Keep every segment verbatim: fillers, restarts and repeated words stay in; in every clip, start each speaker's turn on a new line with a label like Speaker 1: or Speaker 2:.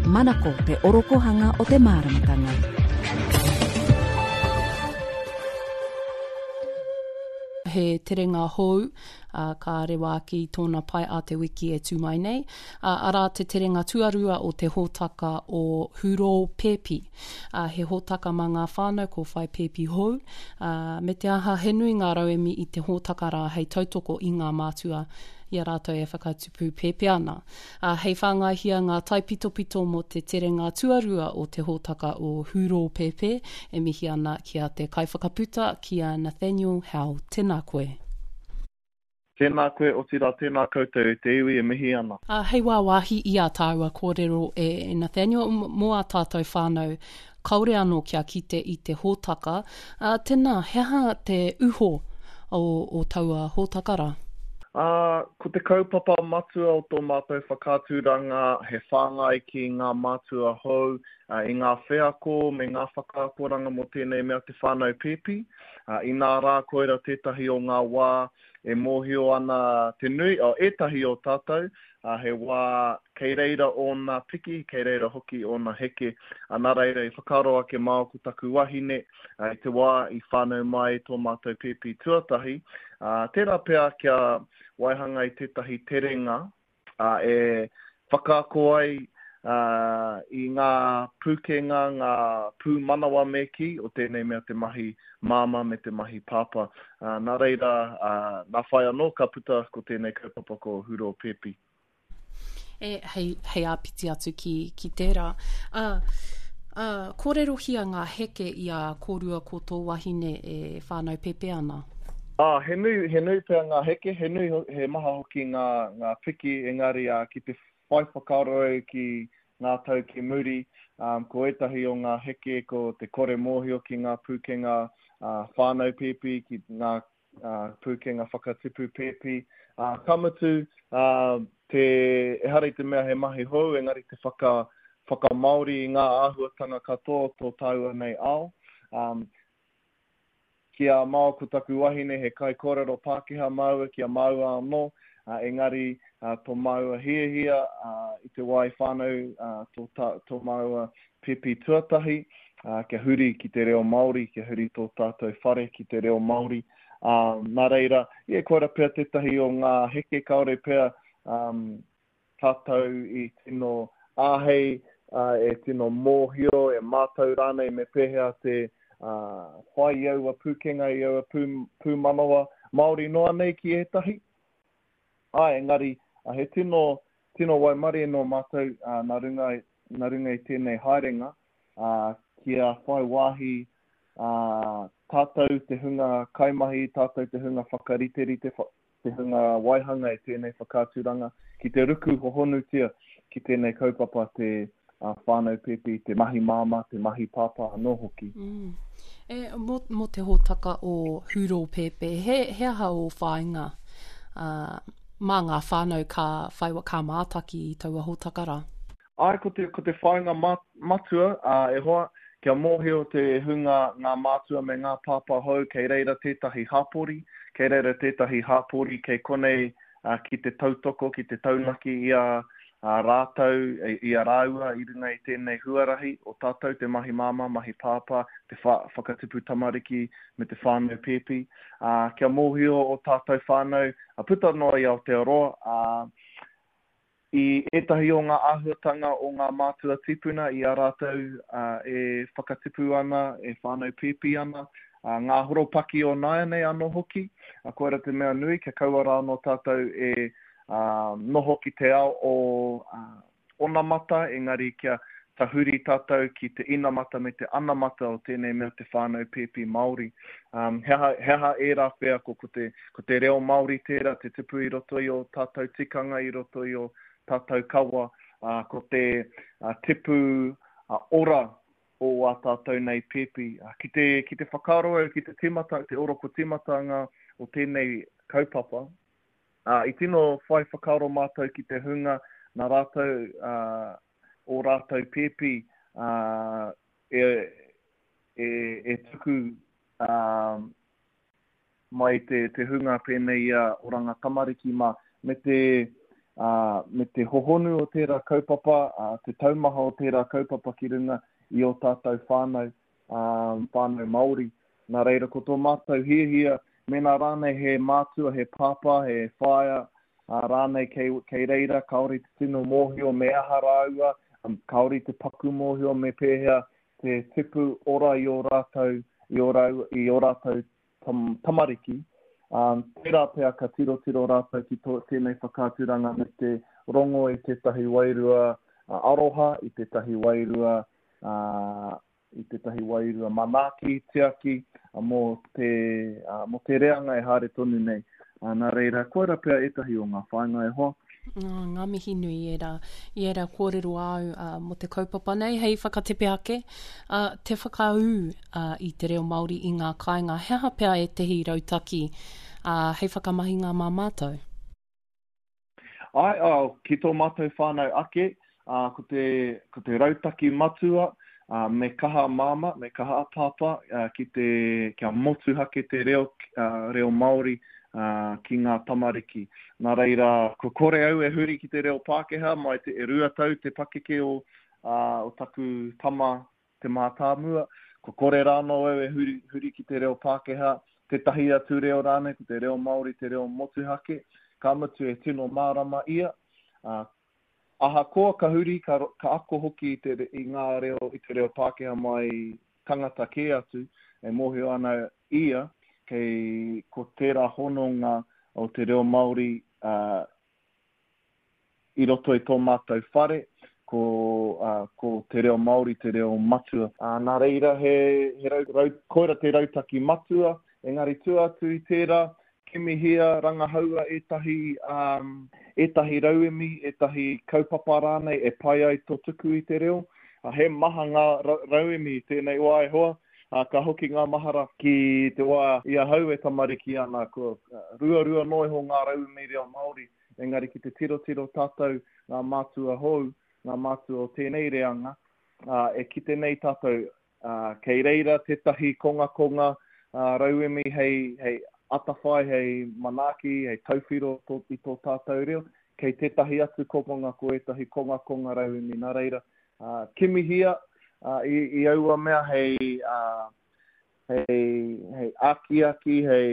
Speaker 1: Manako te orokohanga o te māramatanga.
Speaker 2: He terenga hou, uh, ka rewa ake i tōna pae a te wiki e tū mai nei. Uh, arā te terenga tuarua o te hōtaka o Hurō Pēpi. Uh, he hōtaka mā ngā whānau ko whai pēpi hou, uh, me te aha he nui ngā rauemi i te hōtaka rā hei tautoko i ngā mātua i a rātou e whakatupu pēpi ana. Uh, hei whāngaihia ngā taipitopito mō te terenga tuarua o te hōtaka o Hurō Pēpē, e mihi ana ki a te kaiwhakaputa, ki a Nathaniel Howe. Tēnā koe.
Speaker 3: Tēnā koe, otirā tēnā koutou e te iwi e mihi ana.
Speaker 2: Uh, hei wāwāhi i a tāua kōrero e Nathaniel, mō a tātou whānau, kaore anō kia kite i te hōtaka. Uh, tēnā, he aha te uho o, o taua hōtaka rā?
Speaker 3: Uh, ko te kaupapa matua o tō mātou whakaaturanga he whāngai ki ngā mātua hou uh, i ngā wheako me ngā whakaakoranga mō tēnei mea te whānau pēpi. Uh, inā rā koira tētahi o ngā wā e mōhio ana te nui, o ētahi o tātou, uh, he wā kei reira ōna piki, kei reira hoki ōna heke. Uh, nā reira i whakaaro ake māo ko taku wahine, uh, i te wā i whānau mai tō mātou pēpi tuatahi. Uh, tērā pea kia waihanga i tētahi terenga uh, e whakaako ai uh, i ngā pūkenga, ngā pūmanawa me kī o tēnei mea te mahi māmā me te mahi pāpā. Uh, nā reira, uh, nā whai anō ka puta ko tēnei kaupapa ko Hurō Pēpi.
Speaker 2: E, hei, hei āpiti atu ki, ki tērā. Uh, uh, kōrerohia ngā heke i a kōrua ko tō wahine e whānau pēpē ana?
Speaker 3: Ah, he nui, he nui pea ngā heke, he nui, he maha hoki ngā, ngā piki, engari uh, ki te whai whakaaro au ki ngā tau ki muri, um, ko ētahi o ngā heke, ko te kore mōhio ki ngā pūkenga uh, whānau pēpi, ki ngā uh, pūkenga whakatipu pēpi. Uh, ka mutu, uh, te, ehara i te mea he mahi hou, engari te whaka, whakamāori i ngā āhuatanga katoa tō tāua nei ao. Um, ki a māo ko taku wahine he kaikōrero Pākehā māua ki a māua anō, uh, engari uh, tō māua hiahia uh, i te wā i whānau uh, tō, ta, tō māua pēpi tuatahi, uh, kia huri ki te reo Māori, kia huri tō tātou whare ki te reo Māori. Uh, nā reira, ie, koira pea tētahi o ngā heke kaore pea um, tātou i tino āhei, uh, e tino mōhio, e mātau rānei me pēhea te uh, whai i aua pūkenga, i aua pū, pūmanawa Māori noa nei ki ētahi. Ai, engari, uh, he tino, tino waimarie nō mātou uh, nā runga, nā runga i tēnei haerenga, uh, kia whai wāhi uh, tātou te hunga kaimahi, tātou te hunga whakariterite, te hunga waihanga i tēnei whakaaturanga, ki te ruku hohonutia ki tēnei kaupapa te uh, whānau pēpi, te mahi māmā, te mahi pāpā anō hoki.
Speaker 2: Mm. E, mō, mō te hōtaka o Hurō Pēpē, he, he aha o whāinga uh, mā ngā whānau ka, whai, ka mātaki i taua hōtaka rā?
Speaker 3: Ai, ko te, ko te whāinga matua, uh, e hoa, kia mōhio te hunga ngā mātua me ngā pāpā hou, kei reira tētahi hapori, kei reira tētahi hapori, kei konei uh, ki te tautoko, ki te taunaki i a uh, rātou, i a rāua i runga i tēnei huarahi o tātou te mahi māmā, mahi pāpā, te wha, whakatipu tamariki me te whānau pēpi. Uh, kia mōhio o tātou whānau, uh, puta noa i Aotearoa, uh, i ētahi o ngā āhuatanga o ngā mātua tipuna i a rātou uh, e whakatipu ana, e whānau pēpi ana, uh, ngā horopaki o nāianei anō hoki. Uh, koira te mea nui, kia kaua rā anō tātou e uh, noho ki te ao o uh, onamata, engari kia tahuri tātou ki te inamata me te anamata o tēnei mea te whānau pēpi Māori. Um, he aha, he aha ērā wheako, ko te, ko te reo Māori tērā, te tipu i roto i o tātou tikanga, i roto i o tātou kawa, uh, ko te uh, tipu uh, ora o ā tātou nei pēpi. Uh, ki te, ki te whakaaro au, ki te tīmata, te oroko tīmatanga o tēnei kaupapa, uh, i tino whai whakaaro mātou ki te hunga nā rātou, uh, o rātou pēpi uh, e, e, e tuku uh, mai te, te hunga pēnei i a Oranga Tamariki mā, me te ā, me te hohonu o tērā kaupapa, ā, te taumaha o tērā kaupapa ki runga i ō tātou whānau, ā, whānau Māori. Nā reira, ko tō mātou hiahia, mēnā rānei he mātua, he pāpā, he whaea, ā, rānei kei, kei reira, kāore te tino mōhio me aha rāua, kāore te paku mōhio me pēhea te tipu ora i ō rātou, i ō rāua, i ō rātou tam, tamariki, ā, tērā pea ka tirotiro rātou ki tō, tēnei whakaaturanga me te rongo i tētahi wairua aroha, i tētahi wairua, ā, i tētahi wairua manaaki, tiaki, mō te, mō te reanga e haere tonu nei. Nā reira, koira pea ētahi o ngā whāinga e hoa.
Speaker 2: Oh, ngā mihi nui i ērā, i ērā kōrero āu uh, mō te kaupapa nei hei whakatepe ake, uh, te whakaū uh, i te reo Māori i ngā kāinga. He aha pea ētehi rautaki uh, hei whakamahinga mā mātou?
Speaker 3: Āe, oh, ki tō mātou whānau ake, uh, ko, te, ko te rautaki matua, uh, me kaha a māmā, me kaha a pāpā, uh, ki te, kia motuhake te reo, uh, reo Māori uh, ki ngā tamariki. Nā reira, ko kore au e huri ki te reo Pākehā, mai te e rua tau te pakeke o, uh, o taku tama te mātāmua, ko kore rānō au e huri, huri ki te reo Pākehā, tētahi atu reo rānei, ko te reo Māori, te reo motuhake, ka mutu e tino mārama ia, uh, ahakoa ka huri, ka, ka ako hoki i, te, i ngā reo, i te reo Pākehā mai tangata kē atu, e mōhio ana ia, kei ko tērā hononga o te reo Māori uh, i roto i tō mātou whare, ko, uh, ko te reo Māori te reo matua. Uh, nā reira, he, he rau, rau, koira te rautaki matua, engari tua atu i tērā, kimihia, rangahaua ētahi, um, ētahi rauemi, ētahi kaupapa rānei e pai ai tō tuku i te reo. Uh, he maha ngā rauemi i tēnei wā e hoa, uh, ka hoki ngā mahara ki te wā i ahau e tamariki ana, ko uh, ruarua noa iho ngā rauemi reo Māori, engari ki te tirotiro tātou ngā mātua hou, ngā mātua o tēnei reanga, uh, e kite nei tātou uh, kei reira tētahi kongakonga uh, rauemi hei, hei atawhai, hei manaaki, hei tauwhiro tō, i tō tātou reo, kei tētahi atu kokonga ko ētahi kongakonga rauemi. Nā reira, uh, kimihia uh, i, i aua mea hei, uh, hei, hei akiaki, hei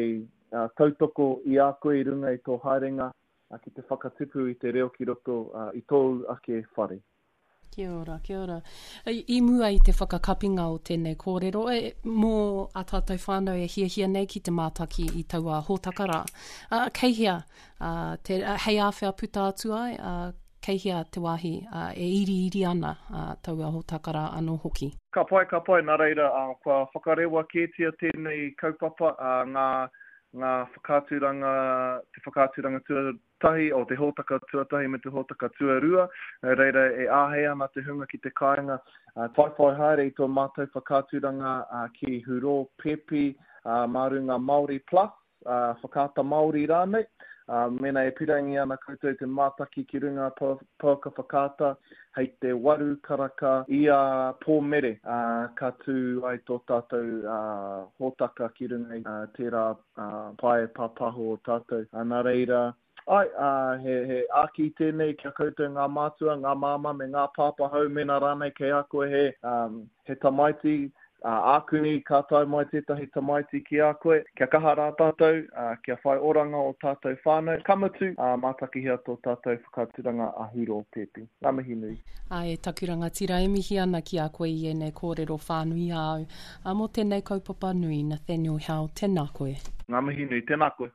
Speaker 3: uh, tautoko i a koe i runga i tō haerenga uh, ki te whakatipu i te reo ki roto uh, i tōu ake whare.
Speaker 2: Kia ora, kia ora. I mua i te whakakapinga o tēnei kōrero, e, mō a tātou whānau e hiahia nei ki te mātaki i taua hōtaka rā. Uh, kei hea, uh, te, uh, hei āwhea puta atu ai, uh, kei hea te wāhi uh, e iriiri ana uh, taua hōtaka rā anō hoki?
Speaker 3: Ka pai, ka pai, nā reira, uh, kua whakarewa kētia tēnei kaupapa, uh, ngā, ngā whakaaturanga, te whakaaturanga tuatahi, o te hōtaka tuatahi me te hōtaka tuarua, nā reira e āhei ana te hunga ki te kāinga, uh, whaiwhai haere i tō mātou whakaaturanga uh, ki Hurō Pēpi, uh, mā runga Māori Plus, uh, Whakaata Māori rānei, uh, mēnā e pirangi ana koutou te mātaki ki runga pouaka whakaata hei te waru karaka i a Pōmere, uh, ka tū ai tō tātou uh, hōtaka ki runga i uh, tērā uh, pae pāpāho o tātou. Uh, nā reira, ai, uh, he, he āki tēnei kia koutou ngā mātua, ngā māmā me ngā pāpā hou, mēnā rānei kei a koe he, um, he tamaiti, uh, ākuni ka tae mai tētahi tamaiti ki a koe, kia kaha rā tātou, uh, kia whai oranga o tātou whānau, ka mutu, uh, mātakihia tō tātou whakaaturanga a Hurō Pēpi. Ngā mihi nui.
Speaker 2: Āe, taku rangatira, e mihi ana ki a koe i ēnei kōrero whānui āu. Ā, mō tēnei kaupapa nui, Nathaniel Howe, tēnā koe.
Speaker 3: Ngā mihi nui, tēnā koe.